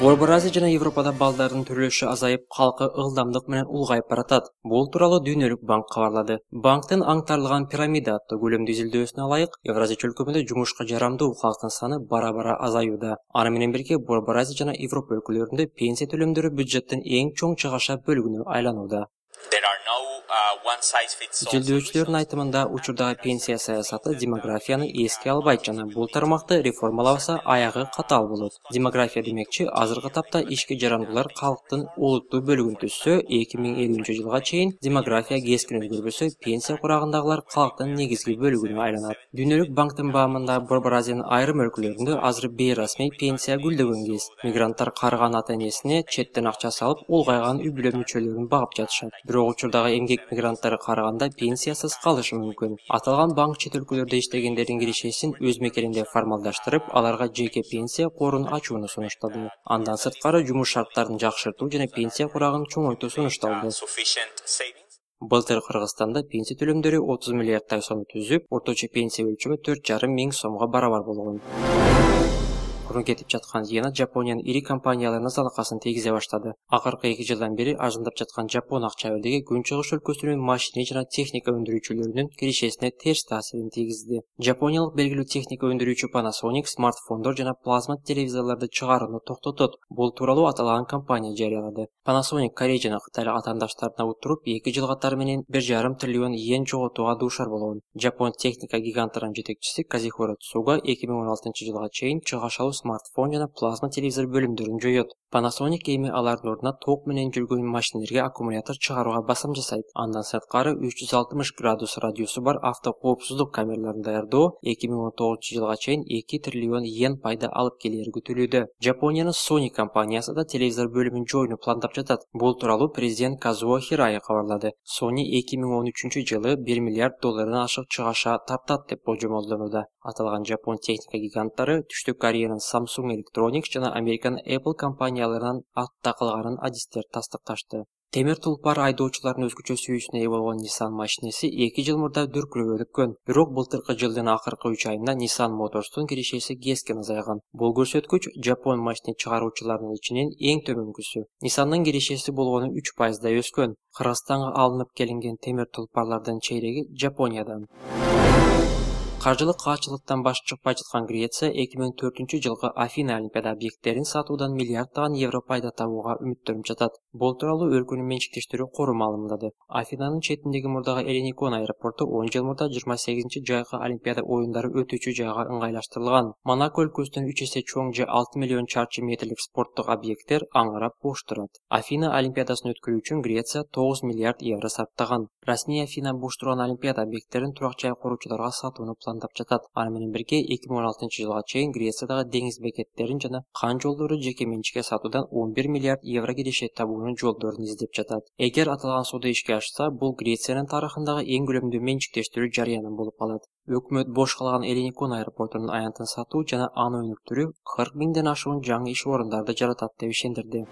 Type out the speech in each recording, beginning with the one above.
Борбор Азия жана Европада балдардын төрөлүшү азайып, калкы ылдамдык менен улгайып баратат. Бул тууралуу Дүйнөлүк банк кабарлады. Банктын аңтарылган пирамида аттуу көлөмдүү изилдөөсүнө ылайык, Евразия чөлкөмүндө жумушка жарамдуу калктын саны бара-бара азаюуда. Аны менен бирге Борбор Азия жана Европа өлкөлөрүндө пенсия төлөмдөрү бюджеттин эң чоң чыгаша бөлүгүнө айланууда. Изилдөөчүлөрдүн айтымында, учурдагы пенсия саясаты демографияны эске албайт жана бул тармакты реформалабаса аягы катаал болот. Демография демекчи, азыркы тапта ишке жарамдуулар калктын олуттуу бөлүгүн түзсө, 2050-жылга чейин демография кескин өзгөрбөсө, пенсия курагындагылар калктын негизги бөлүгүнө айланат. Дүйнөлүк банктын баамында, Борбор Азиянын айрым өлкөлөрүндө азыр бейрасмий пенсия гүлдөгөн кез. Мигранттар карыган ата-энесине четтен акча салып, улгайган үй-бүлө мүчөлөрүн багып жатышат. Бирок учурдагы эмгек мигранттары карыганда пенсиясыз калышы мүмкүн. Аталган банк чет өлкөлөрдө иштегендердин киришесин өз мекенинде формалдаштырып, аларга жеке пенсия корун ачууну сунуштады. Андан сырткары жумуш шарттарын жакшыртуу жана пенсия курагын чоңойтуу сунушталды. Былтыр Кыргызстанда пенсия төлөмдөрү 30 миллиардтай сомду түзүп, орточо пенсия өлчөмү 4,5 миң сомго барабар болгон. Мурун кетип жаткан Йена Жапониянын ири компанияларына залакасын тийгизе баштады. Акыркы 2 жылдан бери арзандап жаткан жапон акча бирдиги Күнчыгыш өлкөсүнүн машина жана техника өндүрүүчүлөрүнүн киришесине терс таасирин тийгизди. Жапониялык белгилүү техника өндүрүүчү Panasonic смартфондор жана плазма телевизорлорду чыгарууну токтотот. Бул тууралуу аталган компания жарыялады. Panasonic Корей жана Кытайлык атаандаштарына утуруп 2 жыл катары менен 1,5 триллион йен жоготууга дуушар болгон. Жапон техника гигантынын жетекчиси Казихиро Цуга 2016-жылга чейин чыгашалуу смартфон жана плазма телевизор бөлүмдөрүн жоёт. Panasonic эми алардын ордуна ток менен жүргөн машинелерге аккумулятор чыгарууга басым жасайт. Андан сырткары 360 градус радиусу бар автокоопсуздук камераларын даярдоо 2019-жылга чейин 2 триллион йен пайда алып келери күтүлүүдө. Жапониянын Sony компаниясы да телевизор бөлүмүн жоюуну пландап жатат. Бул тууралуу президент Казуо Хирай кабарлады. Sony 2013-жылы 1 миллиард доллардан ашык чыгаша тартат деп болжомолдонууда. Аталган жапон техника гиганттары Түштүк Кореянын Samsung Electronics жана Американын Apple компанияларынан артта калганын адистер тастыкташты. Темир тулпар айдоочулардын өзгөчө сүйүүсүнө ээ болгон Nissan машинеси 2 жыл мурда дүркүрөп өткөн. Бирок былтыркы жылдын акыркы 3 айында Nissan Motors'тун киришеси кескин азайган. Бул көрсөткүч жапон машина чыгаруучуларынын ичинен эң төмөнкүсү. Nissan'дын киришеси болгону 3% өскөн. Кыргызстанга алынып келинген темир тулпарлардын чейреги Жапониядан. Каржылык каачылыктан баш чыкпай жаткан Греция 2004-жылкы Афина Олимпиада объекттерин сатуудан миллиарддаган евро пайда табууга үмүттөнүп жатат. Бул тууралуу өлкөнүн менчиктештери курум маалымдады. Афинанын четиндеги мурдагы Эллиникон аэропорту 10 жыл мурда 28-жайкы Олимпиада оюндары өтүүчү жайга ыңгайлаштырылган. Монако өлкөсүнөн 3 эсе чоң же 6 миллион чарчы метрлик спорттук объекттер аңырап бош турат. Афина Олимпиадасын өткөрүү үчүн Греция 9 миллиард евро сарптаган. Расмий Афина бош турган Олимпиада объекттерин турак жай куруучуларга сатууну пландап жатат. Аны менен бирге 2016-жылга чейин Грециядагы деңиз бекеттерин жана кан жолдору жеке менчикке сатуудан 11 миллиард евро киреше табуунун жолдорун издеп жатат. Эгер аталган соода ишке ашса, бул Грециянын тарыхындагы эң күлөмдүү менчиктештирүү жарыянын болуп калат. Өкмөт бош калган Эллиникон аэропортунун аянтын сатуу жана аны өнүктүрүү 40 миңден ашуун жаңы иш орундарды жаратат деп ишендирди.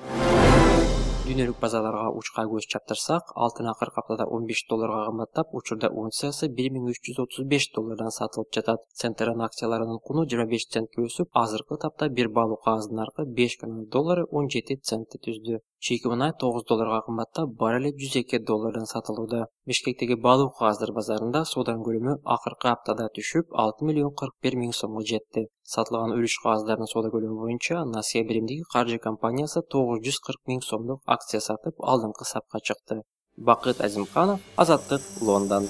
Дүйнөлүк базарларга учка көз чаптырсак, алтын акыркы аптада 15 долларга кымбаттап, учурда унциясы 1335 доллардан сатылып жатат. Центран акцияларынын куну 25 центке өсүп, азыркы тапта бир баалуу кагаздын наркы 5 канал доллары 17 центти түздү. Чийки мунай 9 долларга кымбаттап, баррели 102 доллардан сатылууда. Бишкектеги баалуу кагаздар базарында сооданын көлөмү акыркы аптада түшүп, 6 миллион 41 миң сомго жетти. Сатылган үлүш кагаздардын соода көлөмү боюнча Насия биримдиги каржы компаниясы 940 миң сомдук акция сатып, алдыңкы сапка чыкты. Бакыт Азимканов, Азаттык, Лондон.